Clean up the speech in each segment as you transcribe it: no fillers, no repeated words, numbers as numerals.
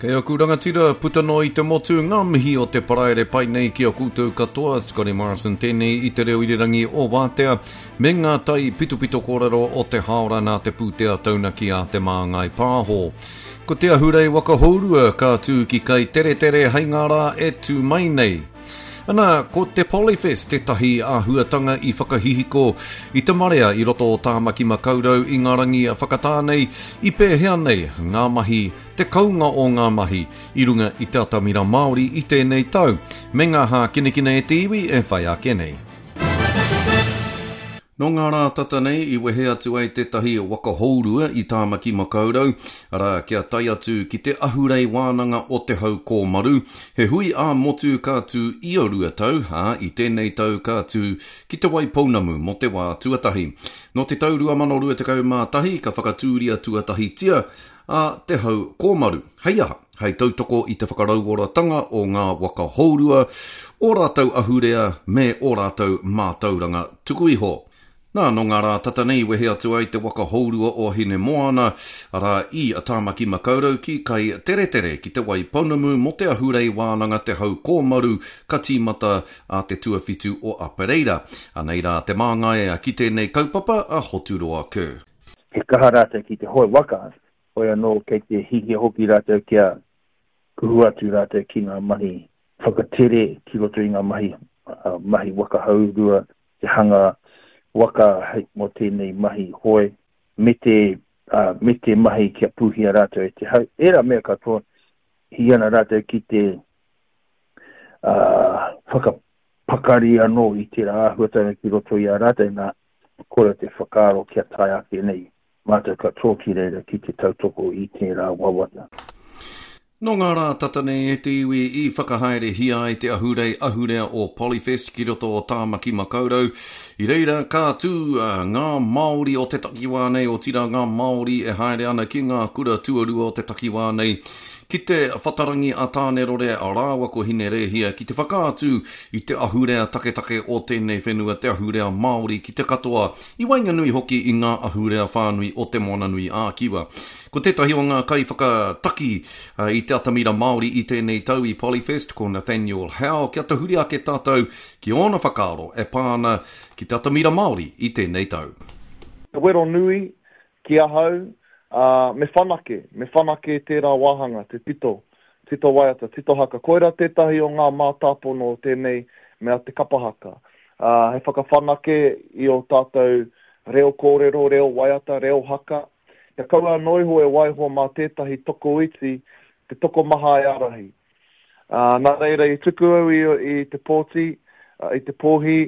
Kei aku rangatira puta noa i te motu, ngā mihi o te paraire pai nei ki a koutou katoa, Scotty Morrison tēnei i te reo irirangi o Wātea, me ngā tai pitopito kōrero o te hāora nā te pūtea taunaki a Te Māngai Pāho. Ko te ahurei waka hourua ka tū ki Kaiteretere hei ngā rā e tū mai nei. Ana, ko te Polyfest tētahi āhuatanga i whakahihiko i te marea i roto o Tāmaki Makaurau i ngā rangi whakatā nei, i pēhea nei ngā mahi, te kounga o ngā mahi i runga i te atamira Māori i tēnei tau, me ngā hākinakina e te iwi e whai ake nei. Nō ngā rā tata nei i wehe atu ai tētahi waka hourua i Tāmaki Makaurau, arā, kia tae atu ki te ahurei wānanga o Te Hau Kōmaru, he hui ā-motu ka tū ia rua tau, ā, i tēnei tau ka tū ki Te Waipounamu mō te wā tuatahi. Nō te tau 2021 ka whakatūria tuatahitia a Te Hau Kōmaru, hei aha? hei tautoko i te whakarauoratanga o ngā waka hourua, ō rātou ahurea me ō rātou mātauranga tuku iho. Nā, nō ngā rā tata nei i wehe atu ai te waka hourua o Hinemoana, arā, i Tāmaki Makaurau ki Kaiteretere, ki Te Waipounamu mō te ahurei wānanga Te Hau Kōmaru ka tīmata a te tuawhitu o Apereira. Anei rā te māngai ki tēnei kaupapa a Hoturoa Kerr. He kaha rātou ki te hoe waka, Hoi anō kei te hihia hoki rātou kia kuhu atu rātou ki ngā mahi whakatere ki roto i ngā mahi, mahi waka hourua, te hanga waka hei mō tēnei mahi hoe, me te, me te mahi kia pūhia rātou e te hau. Ērā mea katoa, hī ana rātou ki te whakapakari anō i tērā āhuatanga ki roto i a rātou, nā, kore te whakaaro kia tae ake nei Mātou katoa ki reira ki te tautoko i tērā wawata. Nō ngā rā tata nei e te iwi i whakahaerehia ai te ahurei ahurea o Polyfest ki roto o Tāmaki Makaurau. I reira ka tū ngā Māori o te takiwā nei, otirā ngā Māori e haere ana ki ngā kura tuarua o te takiwā nei, ki te whatarangi a Tānerore rāua ko Hinerēhia ki te whakaatu i te ahurea taketake o tēnei whenua, te ahurea Māori ki te katoa. I waenganui hoki i ngā ahurea whānui o Te Moananui-a-Kiwa. Ko tētahi o ngā kaiwhakataki i te atamira Māori i tēnei tau i Polyfest, ko Nathaniel Howe, kia tahuri ake tātou ki ōna whakaaro e pā ana ki te atamira Māori i tēnei tau. Te wero nui ki ahau, ā, me whanake, me whanake tērā wāhanga, te tito, tito waiata, tito haka. Koirā tētahi o ngā mātāpono o tēnei mea te kapa haka. Ā, hei whakawhanake i ō tātou reo kōrero, reo waiata, reo haka, kia kaua anō iho e waiho mā tētahi tokoiti te tokomaha e ārahi. Ā, nā reira i tuku au i, i te pōti, i te pōhi,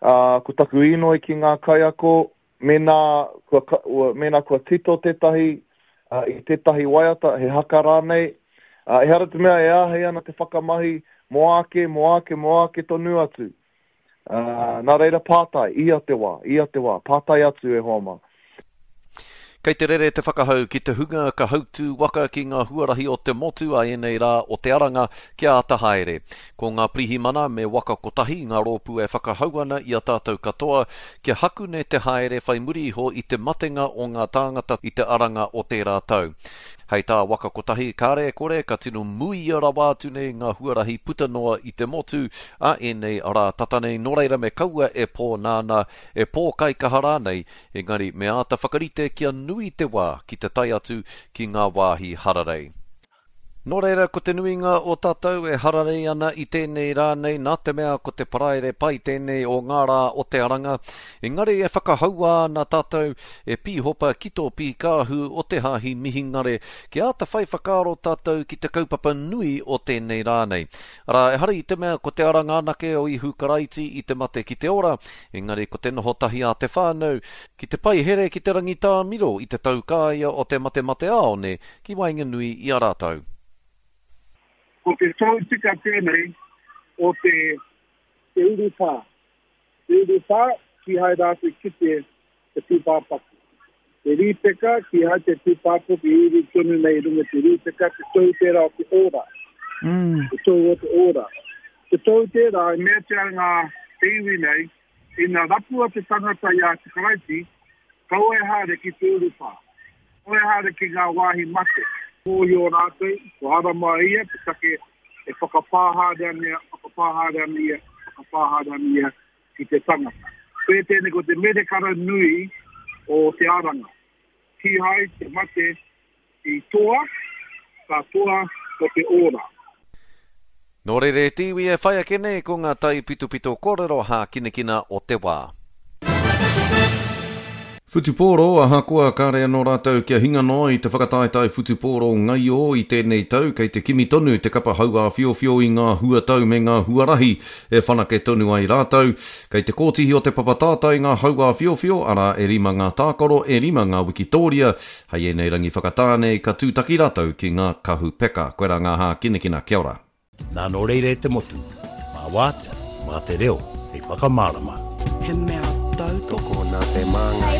ā, ko taku īnoi ki ngā kaiako, mēnā kua, mēnā kua tito tētahi i tētahi waiata, he haka rānei, ā, ehara te mea e āhei ana te whakamahi mō āke, mō āke, mō āke tonu atu. Ā, nā reira pātai, ia te wā, ia te wā, pātai atu e hoa mā. Kei te rere te whakahau ki te hunga ka hautū waka ki ngā huarahi o te motu a ēnei rā o te Aranga kia āta haere. Ko ngā pirihimana me Waka Kotahi ngā rōpū e whakahau ana i a tātou katoa kia hakune te haere whai muri iho i te matenga o ngā tāngata i te Aranga o tērā tau. Hei tā Waka Kotahi, kāre e kore ka tino muia rawa atu nei ngā huarahi puta noa i te motu a ēnei rā tata nei, nō reira me kaua e pōnānā, e pōkaikaha rānei, engari me āta whakarite kia nui te wā ki te tae atu ki ngā wāhi hararei. Nō reira, ko te nuinga o tātou e hararei ana i tēnei rā nei nā te mea ko te Paraire pai tēnei o ngā rā o te Aranga, engari e whakahaua ana tātou e Pīhopa ki tō pīkāhu o te Hāhi Mihingare kia āta whai whakaaro tātou ki te kaupapa nui o tēnei rā nei. Arā, ehara i te mea ko te aranga anake o Ihu Karaiti i te mate ki te ora, engari ko te noho tahi a te whānau, ki te paihere ki te rangitāmiro i te taukāia o te matemateāone ki waenganui i a rātou. Ko te tohu tika tēnei o te te urupā. Te urupā, kīhai rātou kite te tūpāpaku. Te rīpeka, kīhai te tūpāpaku i uru tonu nei i runga te rīpeka, te tohu tērā o te ora. Mm. Te tohu o te ora. Te tohu tērā, e meatia ngā te iwi nei, ina rapua te tangata i a te Karaiti, kaua e haere ki te urupā. Kaua e haere ki ngā wāhi mate. Mōhio rātou, kua harama ia te take e whakapā haere ana ia, whakapā haere ana ia, whakapā haere ana ia ki te tangata. Koia tēnei ko te merekara nui o te aranga. Kīhai te mate i toa, ka toa ko te ora. Nō reira e te iwi e whai ake nei ko ngā taipitopito kōrero hākinakina o te wā. Whutupōro, Ahakoa kāre anō rātou kia hinga noa i te whakataetae whutupōro ngaio i tēnei tau, kei te kimi tonu te kapa hauāwhiowhio i ngā huatau me ngā huarahi e whanake tonu ai rātou. Kei te kōtihi o te papa tātai ngā hauāwhiowhio, arā, e rima ngā tākaro, e rima ngā wikitōria. Hei ēnei rangi whakatā nei, ka tūtaki rātou ki ngā kahu peka. Koirā ngā hākinakina. Kia ora. Nā nō reira e te motu, mā Wātea, mā te reo hei whakamārama. He mea tautoko. Tokona te māngai.